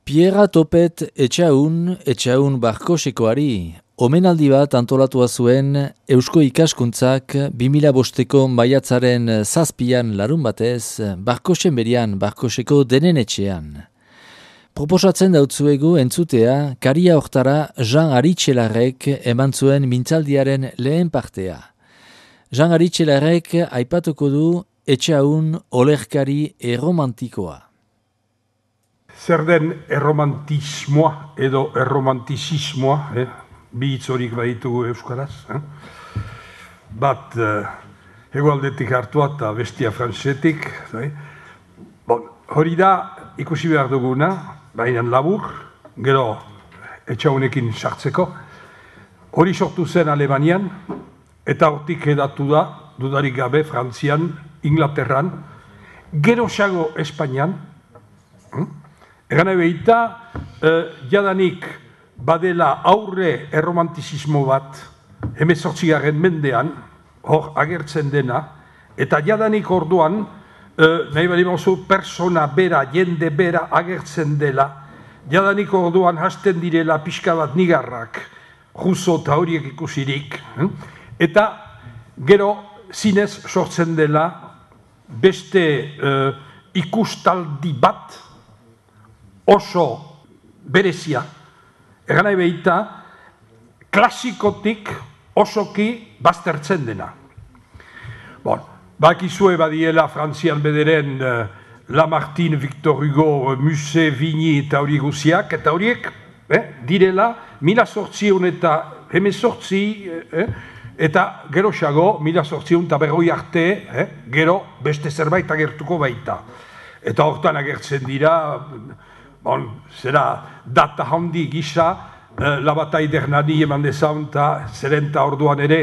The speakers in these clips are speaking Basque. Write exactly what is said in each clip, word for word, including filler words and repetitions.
Pierra Topet etxaun, etxaun barkosekoari, omenaldi bat antolatua zuen Eusko Ikaskuntzak bi mila bosteko maiatzaren zazpian larun batez, barkosen berian barkoseko denen etxean. Proposatzen dautzuegu entzutea, karia hortara Jean Aritxelarrek eman zuen mintzaldiaren lehen partea. Jean Aritxelarrek aipatuko du etxaun olerkari erromantikoa. Zer den erromantismoa edo erromantizismoa, eh? bi hitz horik baditugu euskaraz. Eh? Bat eh, hegoaldetik hartua eta bestia frantsetik. Eh? Bon, hori da ikusi behar duguna, baina labur, gero etxaunekin sartzeko. Hori sortu zen Alemanian, eta hortik edatu da, dudarik gabe, Frantzian, Inglaterran, gero xago Espainian. Hm? Egan ebeita, eh, jadanik badela aurre erromantizismo bat, hemezortzigarren mendean, hor agertzen dena, eta jadanik orduan, eh, nahi bali mozu, persona bera, jende bera agertzen dela, jadanik orduan hasten direla pixka bat nigarrak, juzo eta horiek ikusirik, eh? Eta gero zinez sortzen dela beste eh, ikustaldi bat, oso berezia, egan nahi behita, klasikotik osoki baztertzen dena. Bon, bakizue badiela Frantzian bederen uh, Lamartine, Victor Hugo, Musset, Vigny eta hori guziak, eta horiek eh, direla mila sortzion eta hemezortzi, eh, eta gero xago, mila sortzion eta berroi arte, eh, gero beste zerbait agertuko baita. Eta hortan agertzen dira, bon, zera data handi gisa, eh, la bataille d'Hernani eman dezaun, eta zerenta orduan ere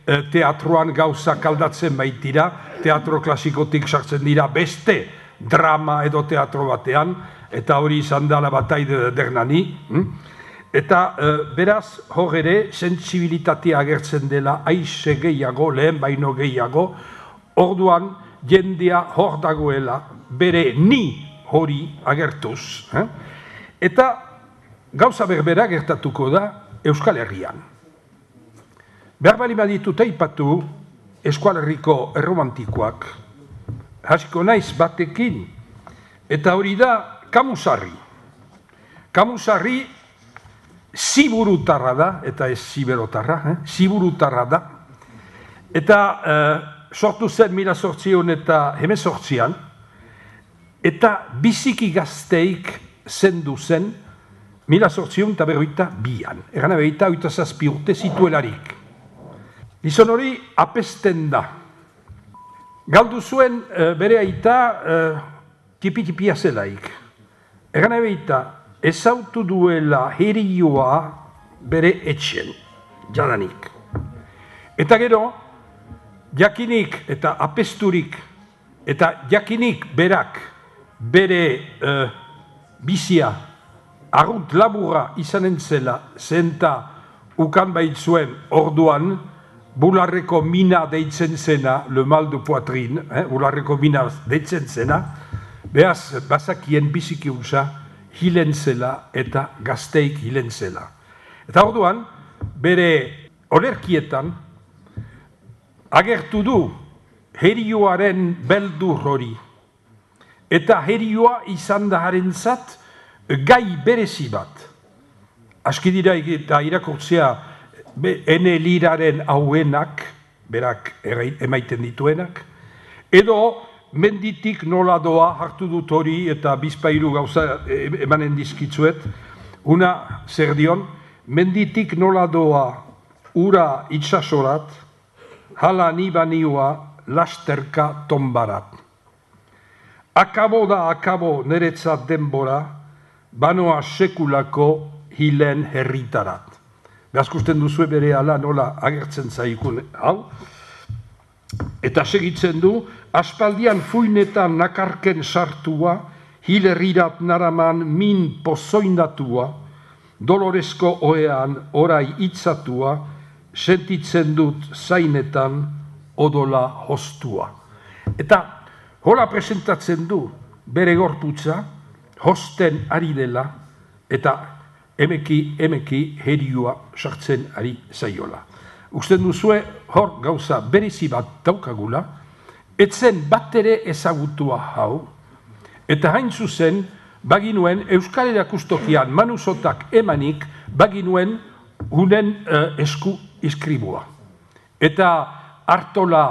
eh, teatroan gauzak aldatzen baitira, teatro klasikotik sartzen dira beste drama edo teatro batean, eta hori izan da la bataille d'Hernani. Hm? Eta eh, beraz, hor ere, sentsibilitatea agertzen dela, aize gehiago, lehen baino gehiago, orduan jendea hor dagoela, bere ni hori agertuz. Eh? Eta gauza berbera gertatuko da Euskal Herrian. Behar bali baditut aipatu Euskal Herriko erromantikoak, hasiko naiz batekin, eta hori da Kamusarri. Kamusarri ziburutarra da, eta ez ziberotarra, eh? ziburutarra da, eta eh, sortu zen mila sortzion eta hemezortzian, eta biziki gazteik zendu zen mila sortzion eta berroita bian. Egan abeita, oita zazpi urte zituelarik. Gizon hori apesten da. Galdu zuen e, bere aita e, tipi-tipia zelaik. Egan abeita, ezautu duela herioa bere etxen, jadanik. Eta gero, jakinik eta apesturik, eta jakinik berak, bere uh, bizia arrunt laburra izanen zela, zenta ukan baitzuen orduan, bularreko mina deitzen zena, le mal de poitrine, eh, bularreko mina deitzen zena, behaz bazakien biziki usa, hilen zela eta gazteik hilen zela. Eta orduan, bere olerkietan, agertu du herioaren beldur hori, eta herioa izan da harentzat gai berezi bat. Aski dira eta irakurtzea ene liraren hauenak, berak emaiten dituenak, edo menditik nola doa hartu dut hori eta bizpairu gauza emanen dizkitzuet, una zer dion, menditik nola doa ura itsasorat, hala ni banioa lasterka tombarat. Akabo da akabo niretzat denbora, banoa sekulako hilen herritarat. Gazkusten duzue bere ala nola agertzen zaikun hau. Eta segitzen du, aspaldian fuinetan nakarken sartua, hilerrirat naraman min pozoindatua, dolorezko oean orai itzatua, sentitzen dut zainetan odola hostua. Eta hola presentatzen du bere gorputza, hosten ari dela, eta emeki, emeki heriua sartzen ari zaiola. Usten duzue, hor gauza berezi bat daukagula, etzen bat ere ezagutua hau, eta hain zuzen, baginuen Euskal Erakustokian manusotak emanik, baginuen unen uh, esku iskribua. Eta Artola,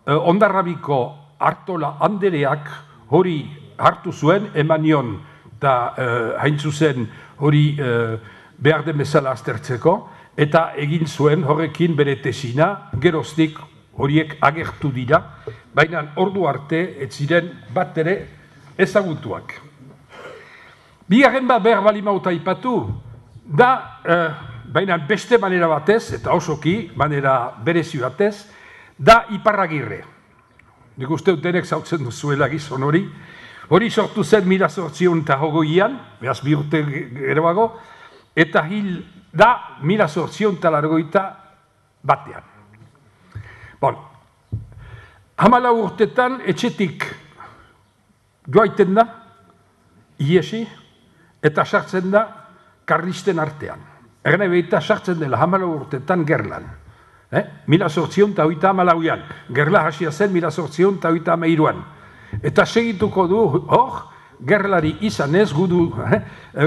uh, Ondarrabiko Artola Andereak hori hartu zuen, emanion, eta uh, hain zuzen hori uh, behar den bezala aztertzeko, eta egin zuen horrekin bere tesina, geroztik horiek agertu dira, baina ordu arte ez ziren bat ere ezagutuak. Bigarren bat behar bali mauta ipatu, da, eh, baina beste manera batez, eta osoki, manera berezi batez, da Iparragirre. Nik uste denek zautzen duzuela gizon hori. Hori sortu zen mila zortzion eta hogoian, behaz bi urte geroago, eta hil da mila zortzion eta largoita batean. Bon, hamala urtetan etxetik joaiten da, iesi, eta sartzen da karlisten artean. Egen ebeita sartzen dela hamala urtetan Gerlan. Eh? Mila zortzion eta hoita hamalauian. Gerla hasia zen mila zortzion eta hoita hamairuan. Eta segituko du, hor, gerlari izanez, gudu, eh?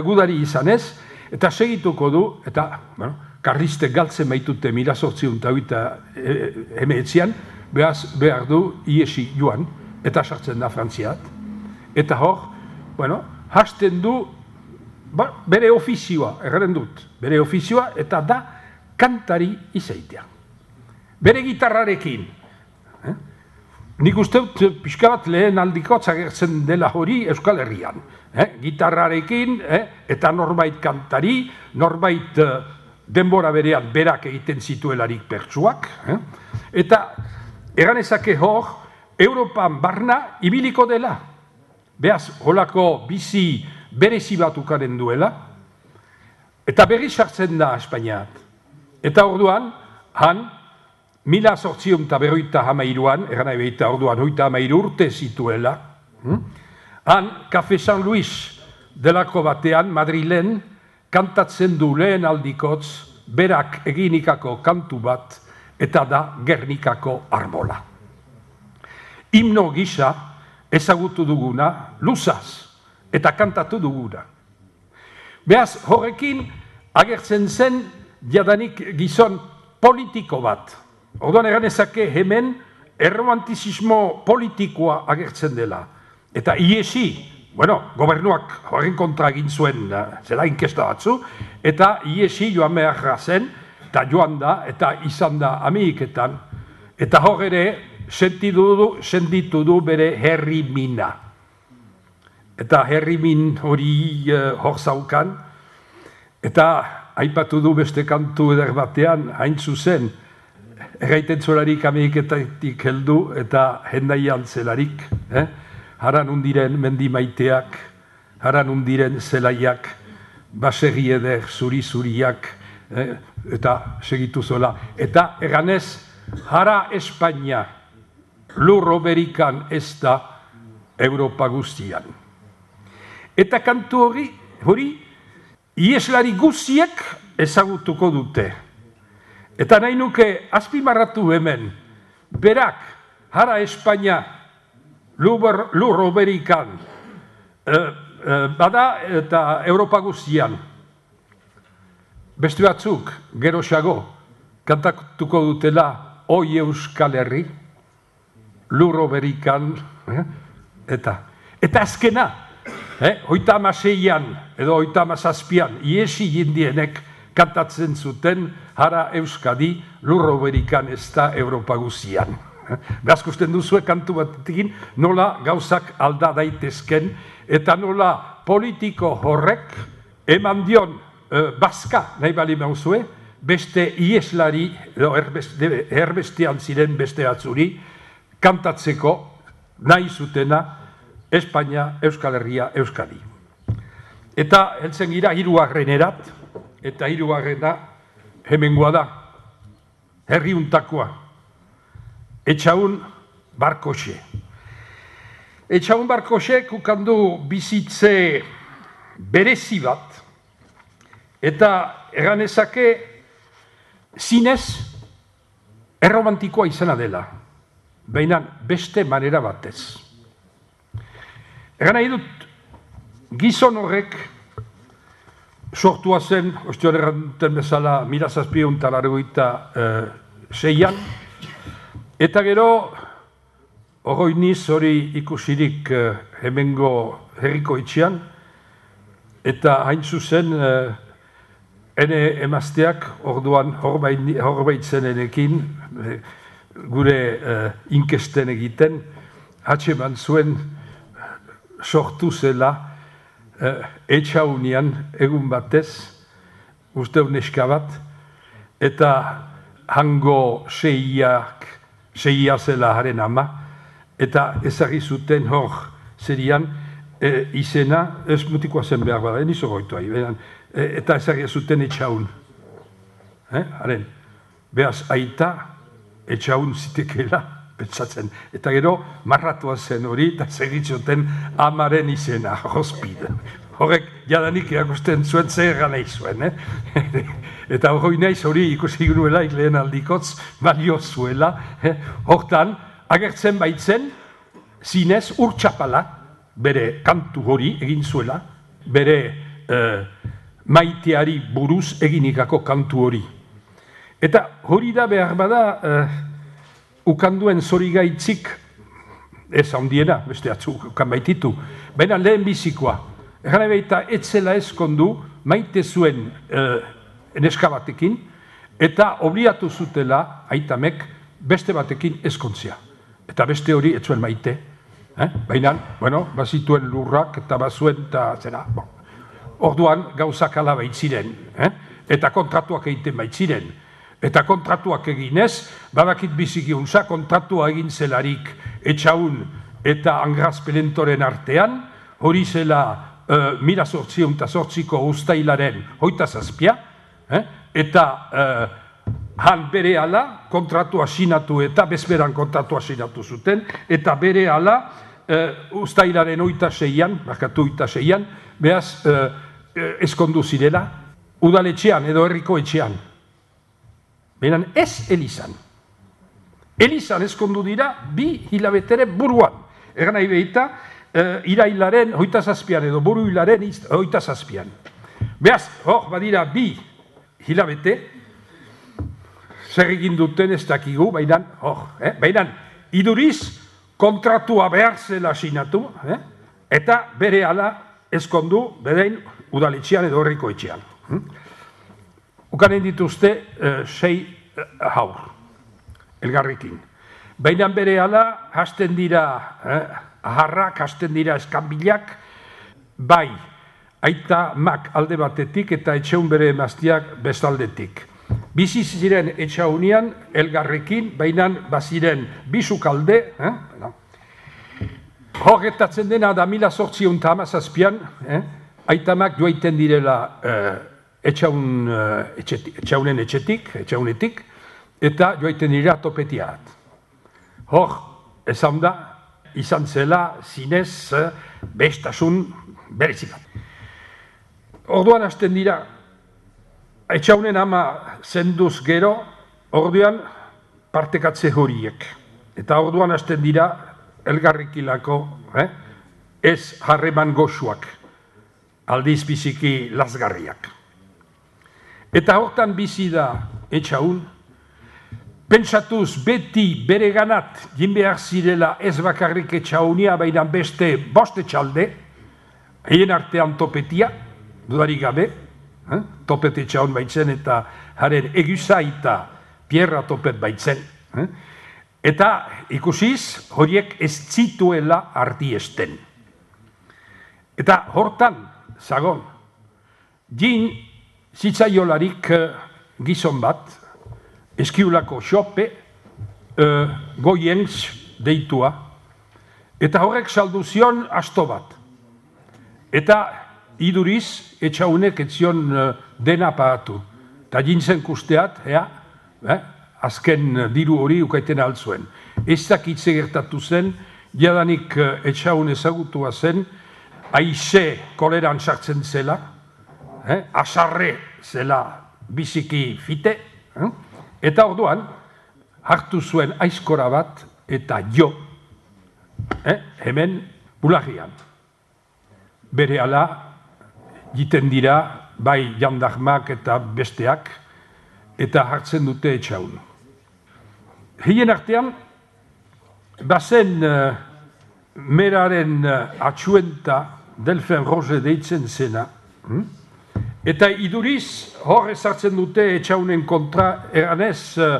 gudari izanez, eta segituko du, eta bueno, karliste galtzen baitute mila zortzion eta hoita emeetzian, behar du iesi joan, eta sartzen da Frantziat. Eta hor, bueno, hasten du ba, bere ofizioa, erren dut, bere ofizioa, eta da kantari izaitea. Bere gitarrarekin. Eh? Nik uste dut pixka bat lehen aldikotz agertzen dela hori Euskal Herrian. Eh? Gitarrarekin, eh? eta norbait kantari, norbait eh, denbora berean berak egiten zituelarik pertsuak. Eh? Eta eganezake hor, Europan barna ibiliko dela. Beaz, holako bizi berezi bat ukaren duela, eta berri sartzen da Espainiat. Eta orduan, han, mila zortzion eta berroita hamairuan, eran ebeita orduan hoita hamairu urte zituela, hm? Han, Café San Luis delako batean, Madrilen, kantatzen du lehen aldikotz, berak eginikako kantu bat, eta da Gernikako arbola. Himno gisa, ezagutu duguna, luzaz, eta kantatu duguna. Beaz, horrekin agertzen zen jadanik gizon politiko bat. Orduan eganezake hemen erromantizismo politikoa agertzen dela. Eta iesi, bueno, gobernuak horren kontra egin zuen zela inkesta batzu, eta iesi joan beharra zen, eta joan da, eta izan da Ameriketan, eta hor ere sentitu du bere herri mina. Eta herri min hori uh, hor zaukan, eta aipatu du beste kantu eder batean, hain zuzen, erraiten zolarik Ameriketatik heldu, eta hendaian zelarik, eh? Haran undiren mendi maiteak, haran undiren zelaiak, baserri eder zuri-zuriak, eh? Eta segitu zola. Eta eganez, hara Espainia, lurro berikan ez da Europa guztian. Eta kantu hori, hori, ieslari guztiek ezagutuko dute. Eta nahi nuke azpimarratu hemen, berak, hara Espainia, lurro berikan, eh, eh, bada eta Europa guztian. Beste batzuk, geroxago, kantatuko dutela, oi Euskal Herri, lurro berikan, eh? eta, eta azkena, eh? hoita amaseian, edo hoita amazazpian, iesi jindienek kantatzen zuten, hara Euskadi, lurro berikan ez da Europa guztian. Gazkusten duzue kantu batekin, nola gauzak alda daitezken, eta nola politiko horrek eman dion eh, bazka nahi bali mauzue, beste ieslari, edo erbeste, erbestean ziren beste atzuri, kantatzeko nahi zutena Espainia, Euskal Herria, Euskadi. Eta heltzen gira hirugarrenerat, eta hirugarrena hemengoa da, herriuntakoa, Etxaun Barkoxe. Etxaun Barkoxek ukandu bizitze berezi bat, Eta erganezake zinez erromantikoa izena dela, baina beste manera batez. Egan nahi dut, gizon horrek sortua zen, ostion erranten bezala, mila zazpiehun eta laurogeita seian, eta gero, oroiniz hori ikusirik hemengo herriko etxean, eta hain zuzen, ene emazteak orduan horbaitzen enekin, gure inkesten egiten, hatxeman zuen sortu zela etxaunian egun batez, uste neska bat, eta hango seiak, seia zela haren ama, eta ezagri zuten hor zerian izena, ez mutikoa zen behar bada, nizo goitu ahi, eta ezagri zuten etxaun. Haren, behaz aita etxaun zitekela, pentsatzen. Eta gero, marratua zen hori, eta segitzoten amaren izena, hospide. Horrek, jadanik erakusten zuen zer ganei zuen. Eta hori naiz hori ikusi nuela, lehen aldikotz, balio zuela. Hortan, agertzen baitzen, zinez urtsapala, bere kantu hori egin zuela, bere maiteari buruz eginikako kantu hori. Eta hori da behar bada, ukanduen zorigaitzik, ez handiena, beste atzu ukan baititu, baina lehen bizikoa. Egan ebeita, etzela ezkondu, maite zuen neska batekin, eta obliatu zutela, aitamek, beste batekin ezkontzia. Eta beste hori ez zuen maite. Baina, bueno, bazituen lurrak, eta bazuen, eta zera, orduan gauzak ala baitziren, eta kontratuak egiten baitziren. Eta kontratuak eginez, badakit biziki unza, kontratua egin zelarik etxaun eta Angraz Pelentoren artean, hori zela mila zortziehun eta zortziko ustailaren hoita zazpia, eta han bere ala kontratua sinatu eta bezberan kontratua sinatu zuten, eta bere ala ustailaren hoita seian, bakatu hoita seian, behaz ezkondu zirela, udaletxean edo herriko etxean. Beran ez Elizan. Elizan ezkondu dira bi hilabetere buruan. Egan nahi behita, irailaren hoita zazpian edo buru hilaren hoita zazpian. Beaz, hor, badira bi hilabete, zer egin duten ez dakigu, baina, hor, baina, iduriz kontratua behar zela sinatu, eta bere ala ezkondu bedein udaletxean edo herriko etxean. Ukanen dituzte sei haur, elgarrikin. Baina bere ala, hasten dira aharrak, hasten dira eskanbilak, bai, aita mak alde batetik eta etxeun bere emaztiak bestaldetik. Bizi ziren etxaunian elgarrekin, baina baziren bizukalde, horretatzen dena da mila zortziehun eta hamazazpian, aitamak joaiten direla etxaunen etxetik, etxaunetik, eta joaiten dira topetiat. Hor, esan da, izan zela zinez bestasun berezikat. Orduan hasten dira, etxaunen ama zenduz gero, orduan partekatze horiek. Eta orduan hasten dira, elgarrikilako, ez harreman goxuak, aldiz biziki lasgarriak. Eta hortan bizi da etxaun, pentsatuz beti bere ganat jin behar zirela ez bakarrik etxaunia, baina beste boste txalde, hien artean topetia, dudarik gabe, topet etxaun baitzen eta haren eguzaita pierra topet baitzen. Eta ikusiz horiek ez zituela ardiesten. Eta hortan, zagon, jin zitzaiolarik gizon bat, eskiulako xope, goienz deitua, eta horrek saldu zion asto bat. Eta iduriz, etxaunek etzion dena pagatu. Eta jintzen kusteat, azken diru hori ukaiten altzuen. Ez dakitze gertatu zen, jadanik etxaun ezagutua zen, aize koleran sartzen zela, eh, asarre zela biziki fite, eh, eta orduan hartu zuen aizkora bat eta jo, eh, hemen bularrian. Bere ala, jiten dira, bai jandarmak eta besteak, eta hartzen dute etxaun. Hien artean, bazen uh, meraren uh, atxuenta Delphin Roger deitzen zena, hm? Eta iduriz hor ezartzen dute etxaunen kontra, eranez uh,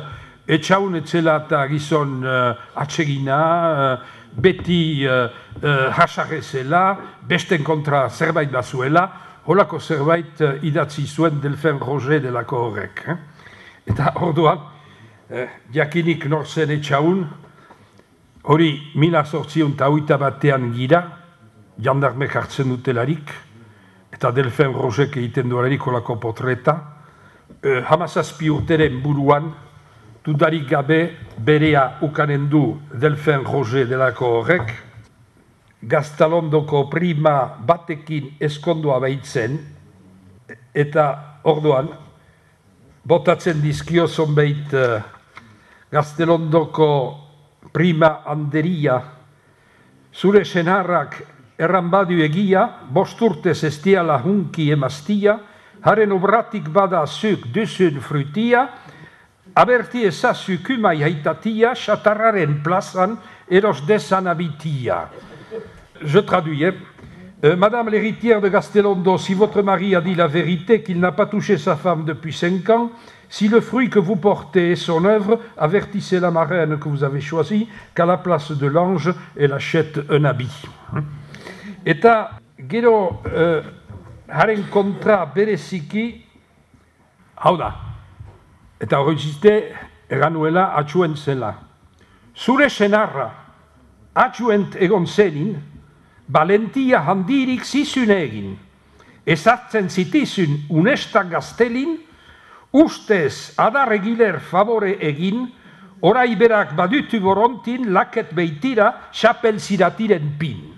etxaun etzela eta gizon uh, atsegina, uh, beti uh, uh, hasarrezela, besten kontra zerbait bazuela, holako zerbait uh, idatzi zuen Delphin Roger delako horrek. Eh? Eta orduan, eh, jakinik norzen etxaun, hori mila zortzion eta hogeita batean gira, jandarmek hartzen dutelarik, eta Delphin Rogerek egiten duelarik holako potreta, eh, hamazazpi urteren buruan, dudarik gabe berea ukanen du Delphin Roger delako horrek, Gaztalondoko prima batekin eskondua behitzen, eta orduan, botatzen dizkio zonbeit uh, Gaztelondoko prima handeria, zure senarrak erran badu egia, bosturtez estiala hunki emaztia, haren obratik bada zuk duzun frutia, aberti ezazu kumai haitatia, xatarraren plazan eros desan abitia. Je traduis. Euh, Madame l'héritière de Gastelondo, si votre mari a dit la vérité, qu'il n'a pas touché sa femme depuis cinq ans, si le fruit que vous portez est son œuvre, avertissez la marraine que vous avez choisie, qu'à la place de l'ange, elle achète un habit. Eta gero euh, haren kontra bereziki, hau da, eta horretzite eranuela atxuen zela. Zure senarra atxuent egon zenin, valentia handirik zizun egin, ezartzen zitizun unesta gaztelin, ustez adar egiler favore egin, orai berak badutu borontin laket beitira chapel ziratiren pin.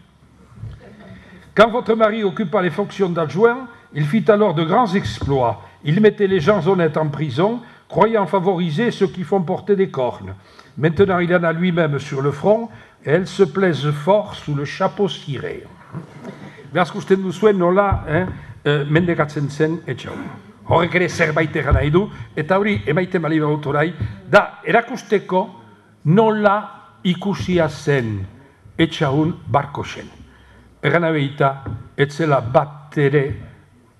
Quand votre mari occupa les fonctions d'adjoint, il fit alors de grands exploits. Il mettait les gens honnêtes en prison, croyant favoriser ceux qui font porter des cornes. Maintenant, il en a lui-même sur le front, et elles se plaisent fort sous le chapeau ciré. Beraz kusten duzuen nola eh, eh, mendekatzen zen etxau. Horrek ere zerbait egan nahi du, eta hori emaiten bali baut orai, da erakusteko nola ikusia zen etxaun Barkosen. Egan abeita, etzela bat ere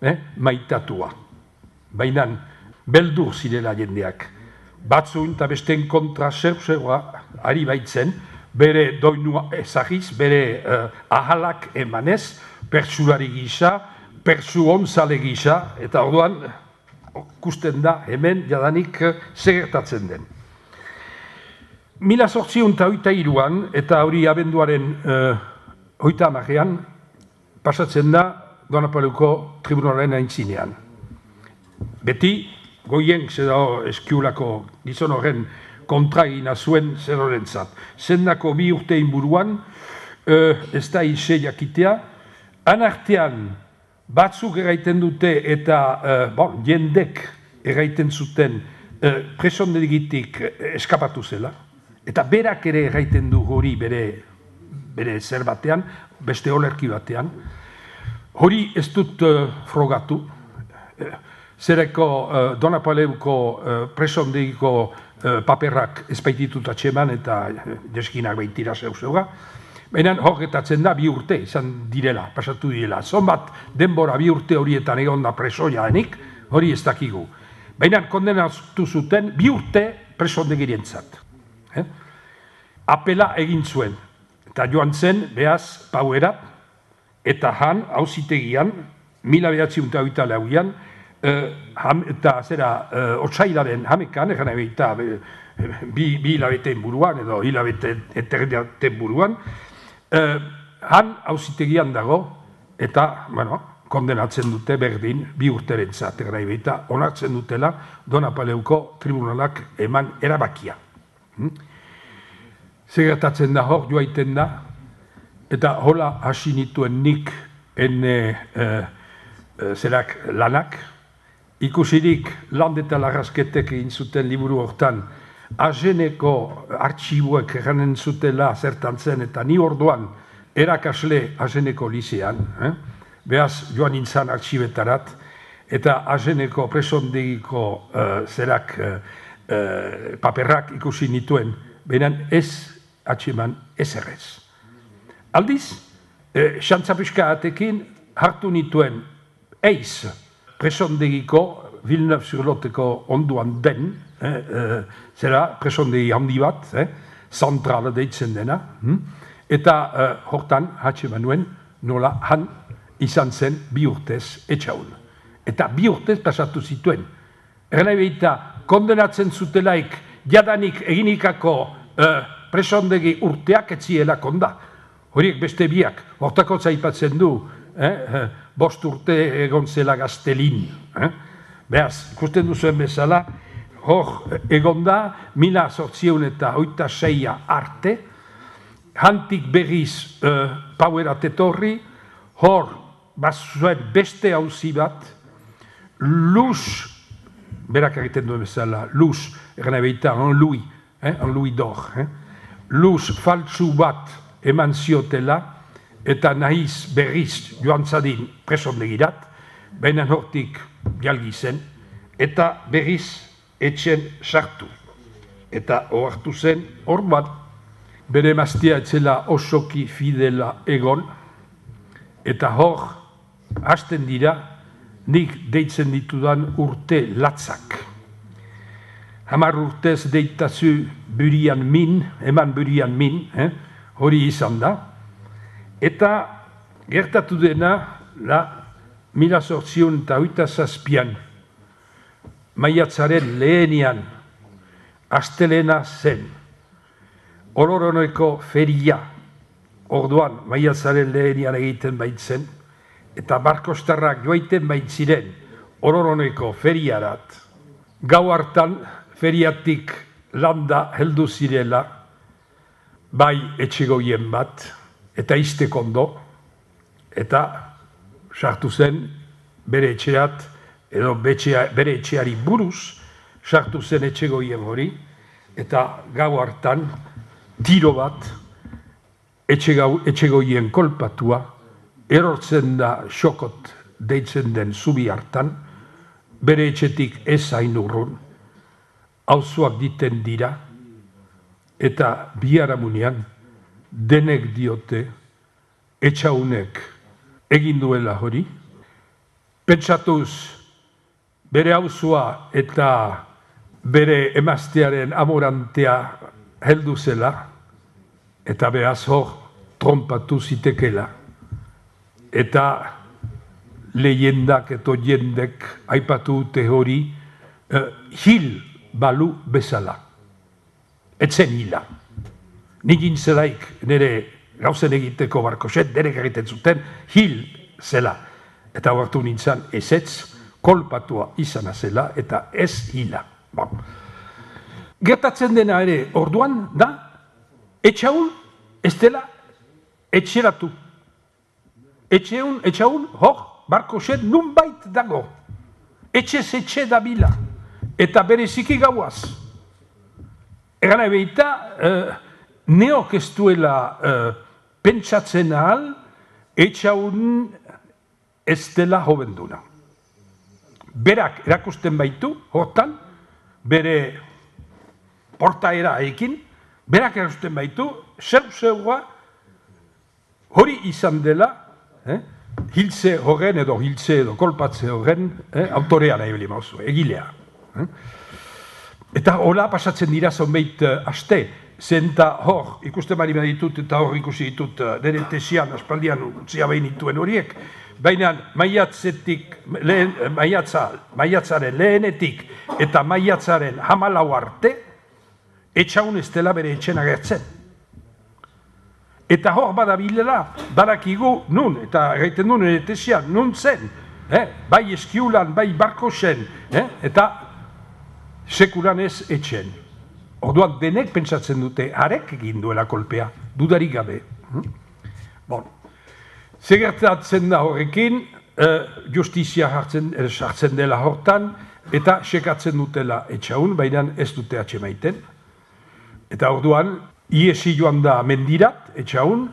eh, maitatua. Baina beldur zirela jendeak. Batzun eta besten kontra zer-zerua ari baitzen, bere doinua ezagiz, bere uh, ahalak emanez, pertsulari gisa, pertsu onzale gisa, eta orduan kusten da hemen jadanik uh, segertatzen den. Mila zortziun eta hoita iruan, eta hori abenduaren uh, hoita amarean, pasatzen da Donapaleuko tribunalaren aintzinean. Beti, goien zeda eskiulako gizon horren kontragina zuen zer horrentzat. Zendako bi urte inburuan, uh, ez da ise jakitea, anartean batzuk eraiten dute eta uh, bon, jendek eraiten zuten uh, presondegitik eskapatu zela, eta berak ere eraiten du hori bere, bere zer batean, beste olerki batean. Hori ez dut uh, frogatu, uh, zereko uh, Donapaleuko uh, presondegiko paperrak ezpaititut atxeman eta deskinak baitira zeu-zeuga. Baina horretatzen da bi urte izan direla, pasatu direla. Zonbat denbora bi urte horietan egon da presoia denik, hori ez dakigu. Baina kondenatu zuten bi urte presondegirientzat. Eh? Apela egin zuen. Eta joan zen, behaz, pauera, eta han, hauzitegian, mila behatziun eta oita lauian, Uh, ham, eta zera uh, otsailaren hamekan, egan eta bi, bi hilabeteen buruan, edo hilabete eterdiaten buruan, uh, han hauzitegian dago, eta, bueno, kondenatzen dute berdin bi urterentzat, egan eta onartzen dutela Donapaleuko tribunalak eman erabakia. Hmm? Segertatzen da hor, joaiten da, eta hola hasi nituen nik ene uh, zerak lanak, ikusirik land eta larrazketek egin zuten liburu hortan, Ageneko artxibuek eranen zutela zertan zen, eta ni orduan erakasle Ageneko lisean, eh? Beaz joan nintzen artxibetarat, eta Ageneko presondegiko uh, zerak uh, uh, paperrak ikusi nituen, behinan ez atxeman ez errez. Aldiz, eh, xantzapiska atekin hartu nituen eiz presondegiko Villeneuve-sur-Loteko onduan den, eh, eh, zera presondegi handi bat, eh, zentrala deitzen dena, hm? Eta eh, hortan atxeman nuen nola han izan zen bi urtez etxaun. Eta bi urtez pasatu zituen. Erna behita, kondenatzen zutelaik jadanik eginikako eh, presondegi urteak etziela konda. Horiek beste biak, hortako zaipatzen du, eh, eh, bost urte egon zela Gaztelin. Eh? Beaz, ikusten duzuen bezala, hor egonda, mila sortzieun eta oita seia arte, hantik berriz uh, pauera tetorri, hor bazuen beste hauzi bat, luz, berak egiten duen bezala, luz, erren ebeita, en Louis, eh, en Louis d'Or, eh? Luz faltsu bat eman ziotela, eta nahiz berriz joan zadin presondegirat, baina hortik jalgi zen, eta berriz etxen sartu. Eta ohartu zen, hor bat, bere emaztea etzela osoki fidela egon, eta hor, hasten dira, nik deitzen ditudan urte latzak. Hamar urtez deitazu burian min, eman burian min, eh? Hori izan da, eta gertatu dena, la mila sortzion eta oita zazpian, maiatzaren lehenian, astelena zen, Oloroneko feria, orduan maiatzaren lehenian egiten baitzen, eta barkostarrak joaiten baitziren Oloroneko feriarat, gau hartan feriatik landa heldu zirela, bai etxegoien bat, eta iztek ondo, eta sartu zen bere etxeat, edo betxea, bere etxeari buruz, sartu zen etxegoien hori, eta gau hartan, tiro bat, etxegoien kolpatua, erortzen da xokot deitzen den zubi hartan, bere etxetik ez hain urrun, auzoak diten dira, eta biharamunean denek diote etxaunek egin duela hori. Pentsatuz bere auzoa eta bere emaztearen amorantea heldu zela, eta behaz hor trompatu zitekela. Eta lehendak eta jendek aipatu dute hori uh, hil balu bezala. Etzen hila. Nik intzelaik nire gauzen egiteko barkoset, derek egiten zuten, hil zela. Eta hartu nintzen ezetz, kolpatua izana zela, eta ez hila. Bon. Gertatzen dena ere orduan, da, etxaun, ez dela, etxeratu. Etxeun, etxaun, hor, barkoset nunbait dago. Etxez etxe dabila. Eta bereziki gauaz. Egan ebeita, uh, neok ez duela uh, pentsatzen ahal, etxaun ez dela jovenduna. Berak erakusten baitu, hortan, bere portaera ekin, berak erakusten baitu, zeu-zeua hori izan dela, eh, hiltze horren edo hiltze edo kolpatze horren eh, autorea nahi beli mauzu, egilea. Eh? Eta hola pasatzen dira zonbeit uh, aste, zenta hor, ikusten bari ditut eta hor ikusi ditut uh, nire tesian, aspaldian utzia behin dituen horiek, baina maiatzetik, lehen, maiatza, maiatzaren lehenetik eta maiatzaren hamalau arte, etxaun ez dela bere etxen agertzen. Eta hor badabilela, badakigu nun, eta gaiten du nire tesian, nun zen, eh? Bai eskiulan, bai barkosen, eh? Eta sekuran ez etxen. Orduan denek pentsatzen dute, harek egin duela kolpea, dudarik gabe. Bon. Zegertatzen da horrekin, justizia sartzen dela hortan, eta sekatzen dutela etxaun, baina ez dute atxemaiten. Eta orduan, iesi joan da mendirat, etxaun,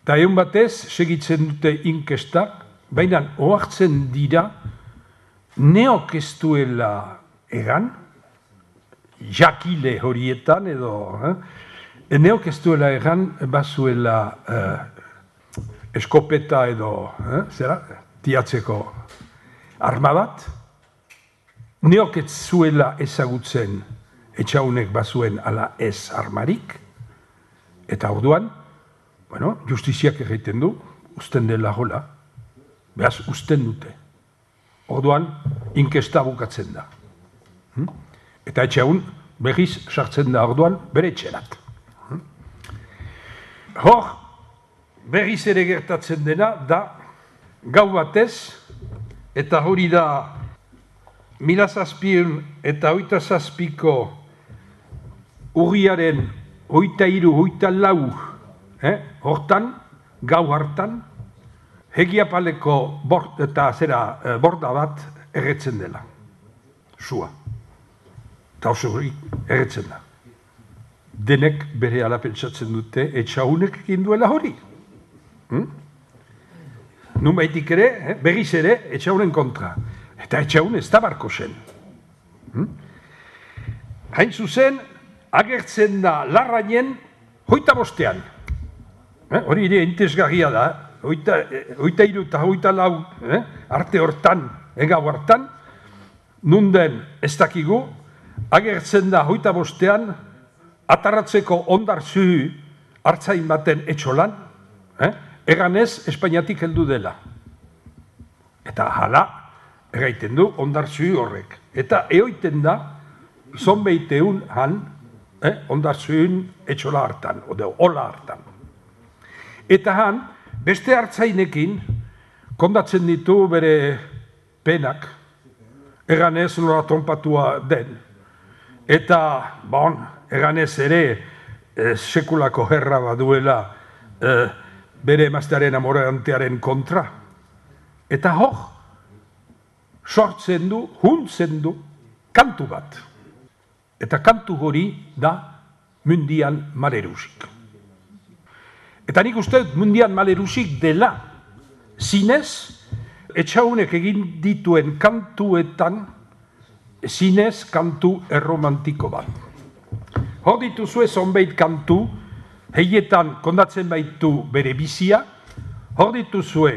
eta egun batez, segitzen dute inkestak, baina ohartzen dira, neok ez duela egan, jakile horietan edo, neok ez duela egan, bazuela eskopeta edo, zera, tiatzeko arma bat, neok ez zuela ezagutzen etxaunek bazuen ala ez armarik, eta orduan, bueno, justiziak egiten du, usten dela hola, behaz usten dute. Orduan, inkesta bukatzen da. Eta etxaun, behiz sartzen da orduan, bere etxerat. Hor, berriz ere gertatzen dena, da, gau batez, eta hori da, mila zazpion eta hoita zazpiko urriaren hoita iru, hoita lau, eh? hortan, gau hartan, Hegiapaleko bord, eta zera borda bat erretzen dela. Sua. Eta oso hori erretzen da. Denek bere ala pentsatzen dute, etxaunek egin duela hori. Hmm? Nunbaitik ere, eh? berriz ere, etxaunen kontra. Eta etxaun ez da barko zen. Hmm? Hain zuzen, agertzen da larrainen hoita bostean. Eh? Hori ere intezgarria da, hoita iru eta hoita lau eh? arte hortan, egau hartan, nunden ez dakigu, agertzen da hoita bostean, atarratzeko ondar zuhu hartzain baten etxolan, eh? eganez Espainiatik heldu dela. Eta hala, erraiten du ondar zuhu horrek. Eta eoiten da, zonbeiteun han, eh? ondar zuhun etxola hartan, ode hola hartan. Eta han, beste hartzainekin, kondatzen ditu bere penak, eganez nola tonpatua den. Eta, bon, eganez ere, eh, sekulako herra baduela eh, bere emaztearen amorantearen kontra. Eta hor, sortzen du, huntzen du, kantu bat. Eta kantu hori da mundian malerusik. Eta nik uste mundian malerusik dela, zinez, etxaunek egin dituen kantuetan, zinez kantu erromantiko bat. Hor dituzue zonbait kantu, heietan kondatzen baitu bere bizia, hor dituzue,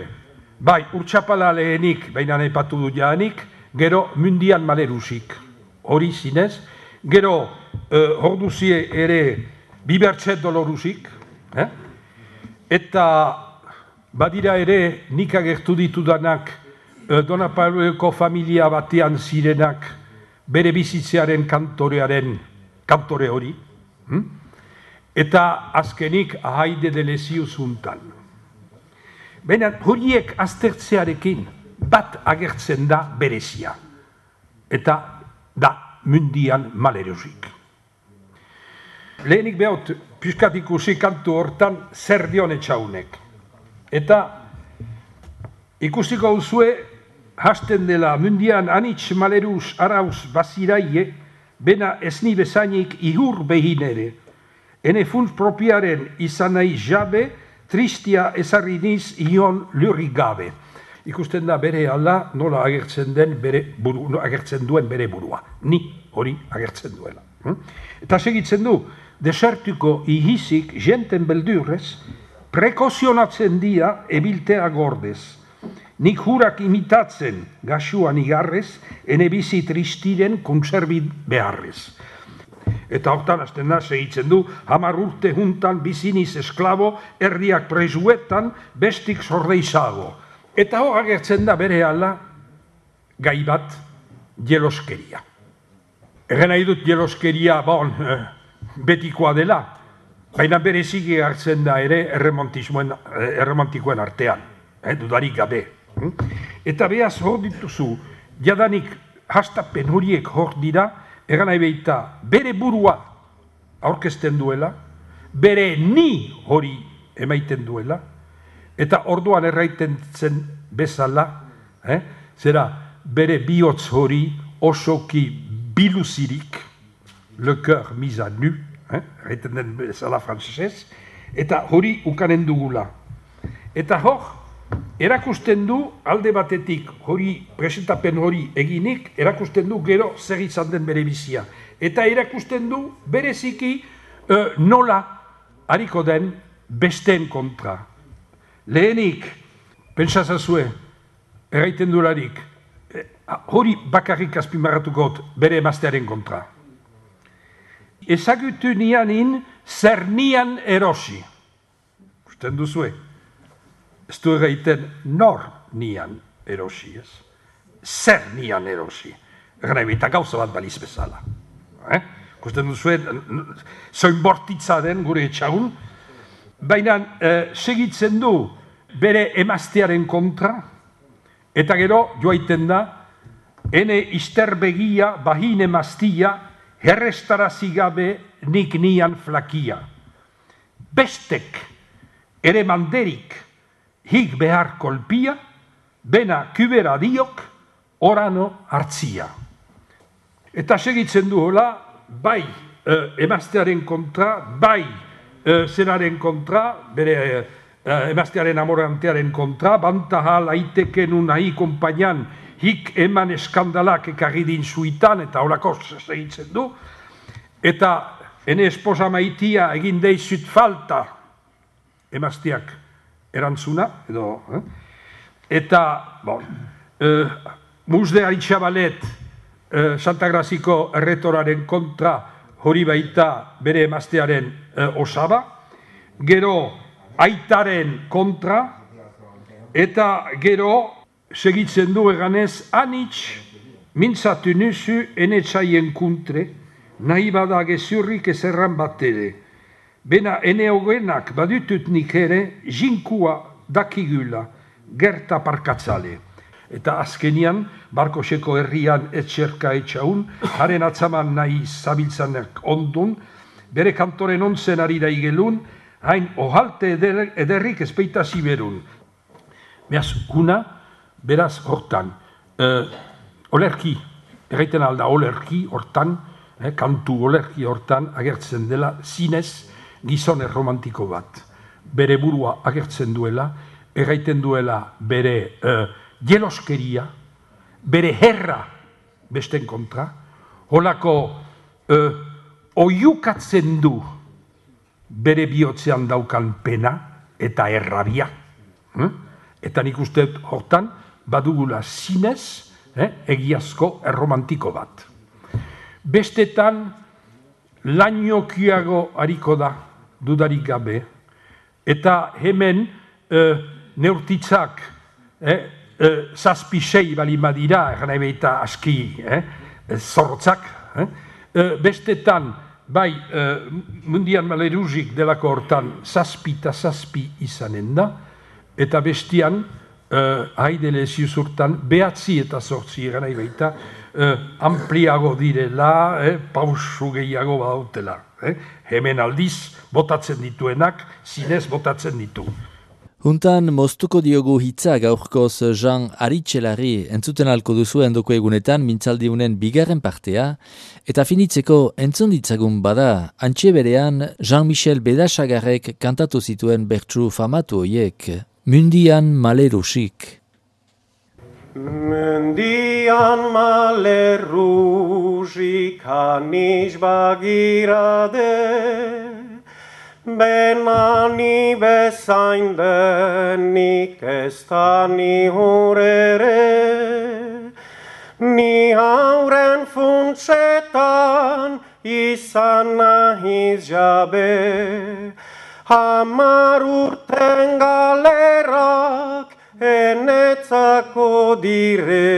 bai, urtsapala lehenik, baina aipatu du jaanik, gero mundian malerusik. Hori zinez, gero eh, hor duzie ere bibertset dolorusik, eh? Eta badira ere nik agertu ditudanak Dona Pabloeko familia batean zirenak bere bizitzearen kantorearen kantore hori. Hm? Eta azkenik Ahaide de Lesius untan. Baina horiek aztertzearekin bat agertzen da berezia. Eta da mundian malerusik. Lehenik behot, piskat ikusi kantu hortan zer dion etxaunek. Eta ikusiko duzue, hasten dela mundian anitz maleruz arauz baziraie, bena esni bezainik ihur behin ere. Ene funts propiaren izan nahi jabe, tristia ezarri niz ion lurrik gabe. Ikusten da bere ala nola agertzen den bere buru, agertzen duen bere burua. Ni hori agertzen duela. Eta segitzen du, desertuko ihizik jenten beldurrez, prekozionatzen dira ebiltea gordez. Nik jurak imitatzen gasuan igarrez, ene bizi tristiren konserbit beharrez. Eta hortan hasten da, segitzen du, hamar urte juntan biziniz esklabo, herriak presuetan, bestik zordeizago. Eta hor agertzen da bere ala, gai bat, jeloskeria. Egen nahi dut jeloskeria, bon, eh, betikoa dela, baina bereziki hartzen da ere erromantikoen artean, eh, dudarik gabe. Eta behaz hor dituzu, jadanik hastapen horiek hor dira, egan nahi behita bere burua aurkezten duela, bere ni hori emaiten duela, Eta orduan erraiten zen bezala, eh? Zera bere bihotz hori osoki biluzirik, le cœur mis à nu, eh? Erraiten den bezala frantzesez, eta hori ukanen dugula. Eta hor, erakusten du alde batetik hori, presentapen hori eginik, erakusten du gero zer izan den bere bizia. Eta erakusten du bereziki uh, nola hariko den besteen kontra. Lehenik, pentsazazue, erraiten dularik, eh, hori bakarrik azpimarratuko bere emaztearen kontra. Ezagutu nianin zer nian erosi. Usten duzue? Ez du erraiten nor nian erosi, ez? Zer nian erosi. Egan nahi, eta gauza bat baliz bezala. Eh? Usten duzue, zoin bortitza den gure etxagun, baina eh, segitzen du bere emaztearen kontra, eta gero joaiten da, ene isterbegia bahin emaztia, herrestarazi gabe nik nian flakia. Bestek, ere manderik, hik behar kolpia, bena kübera diok, orano hartzia. Eta segitzen du hola, bai eh, emaztearen kontra, bai eh, zenaren kontra, bere eh, emaztearen amorantearen kontra, bantahal aitekenun nahi kompainan, hik eman eskandalak ekarri din zuitan, eta holako segitzen du, eta ene esposa maitia egin deizut falta, emazteak erantzuna, edo, eh? Eta, bon, eh, musde aritxabalet eh, Santa Graziko erretoraren kontra hori baita bere emaztearen eh, osaba, gero aitaren kontra, eta gero segitzen du eganez, anitz mintzatu nuzu enetzaien kuntre, nahi bada gezurrik ezerran bat ere. Bena ene hogenak badutut nik ere, jinkua dakigula, gerta parkatzale. Eta azkenian, Barkoseko herrian etxerka etxaun, haren atzaman nahi zabiltzanek ondun, bere kantoren onzen ari daigelun, hain ohalte eder, ederrik ezpeita ziberun. Beaz, guna, beraz hortan, uh, olerki, erraiten alda olerki hortan, eh, kantu olerki hortan agertzen dela zinez gizon erromantiko bat. Bere burua agertzen duela, erraiten duela bere uh, jeloskeria, bere herra besten kontra, holako uh, oiukatzen du bere bihotzean daukan pena eta errabia. Hm? Eta nik uste hortan badugula zinez eh, egiazko erromantiko bat. Bestetan lainokiago hariko da dudarik gabe, eta hemen eh, neurtitzak eh, eh, zazpi sei balima dira, egan nahi behita aski eh, zorrotzak, eh, eh, bestetan bai eh, mundian maleruzik delako hortan zazpi eta zazpi izanen da, eta bestian, uh, haidele ziuzurtan, behatzi eta zortzi egan nahi baita, uh, ampliago direla, eh, pausu gehiago badautela. Eh? Hemen aldiz, botatzen dituenak, zinez botatzen ditu. Huntan moztuko diogu hitza gaurkoz Jean Aritxelari entzuten alko duzu endoko egunetan mintzaldiunen bigarren partea, eta finitzeko entzun ditzagun bada, antxe berean Jean-Michel Bedasagarrek kantatu zituen bertsu famatu hoiek, Mundian malerusik. Mundian malerusik hanis bagirade, benani bezain denik ez da ni hurere, ni hauren funtsetan izan nahiz jabe, hamar urten galerak enetzako dire.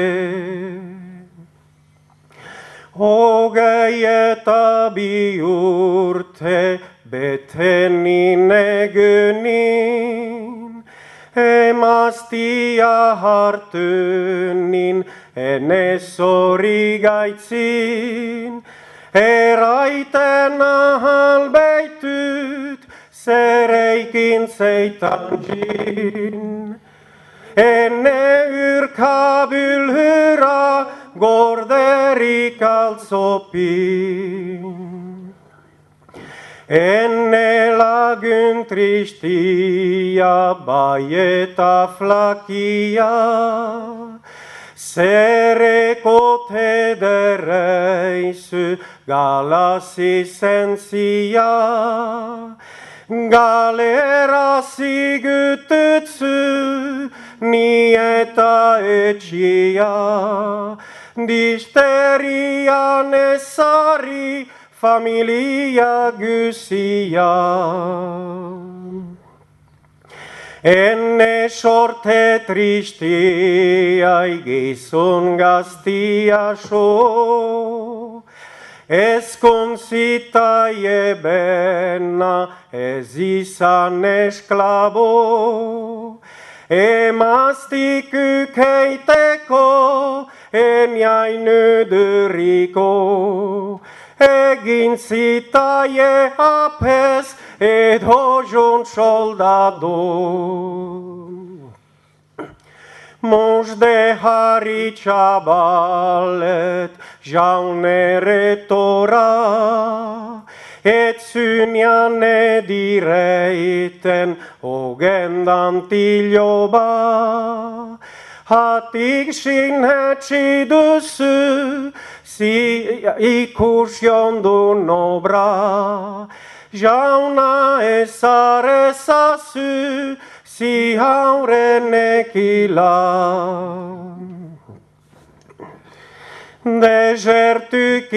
Hogei eta bi urte betenin egunin, emaztia hartunin enez hori gaitzin, eraiten ahal beitut zereikin zeitan jin. Enne yrkabylhyra gorderik altsopin. Enne lagyn tristia baieta flakia, sereko tedereisy galasi sensia, galera sigytytsy nieta etsia, disteria nessari familia gysia. Enne sorte tristiai gizon gaztia so, ez konzitaie ebena ez izan esklabo, emaztik ukeiteko eniain öduriko, egin zitaie apes edo jon soldado. Mos de hari txabalet jaunere tora, et zynian edireiten ogendan tiloba. Hatik sinhetsi duzu, si ikus jondun obra, jauna ezar ezazu, si haurenekila. Desertuk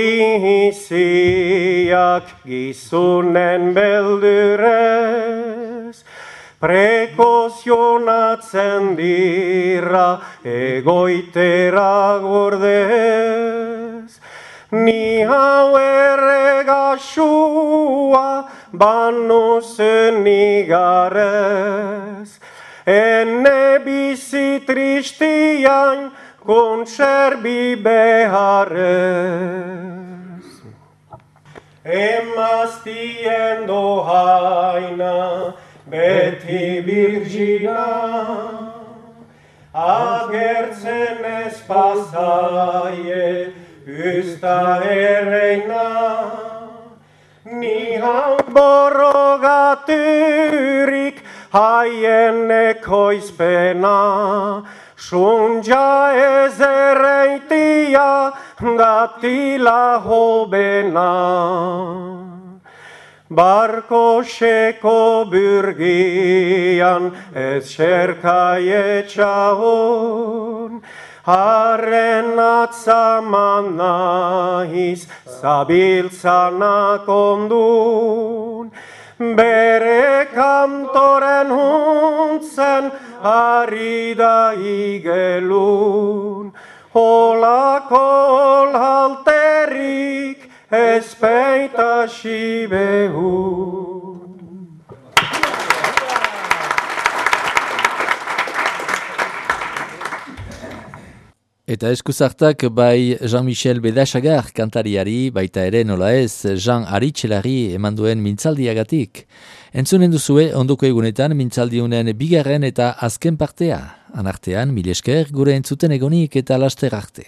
iziak gizunen beldurez, prekozionatzen dira egoitera gordez. Ni hau erregasua banu zen igarez, ene bizi tristian kontserbi beharrez. Emaztien dohaina beti birgina, agertzen ez pasaie usta erreina. Ni hau borrogaturik haien ekoizpena, sunja ez erreitia datila hobena. Barko seko burgian ez xerkai etxahon, harren atzaman nahiz zabiltzanak ondun, bere kantoren huntzen ari da igelun, holako olhalterik ez peita xibehun. Eta eskuzartak bai Jean-Michel Bedasagar kantariari, baita ere nola ez Jean Aritxelari eman duen mintzaldiagatik. Entzunen duzue ondoko egunetan mintzaldiunen bigarren eta azken partea. Anartean, mil esker gure entzuten egonik eta laster arte.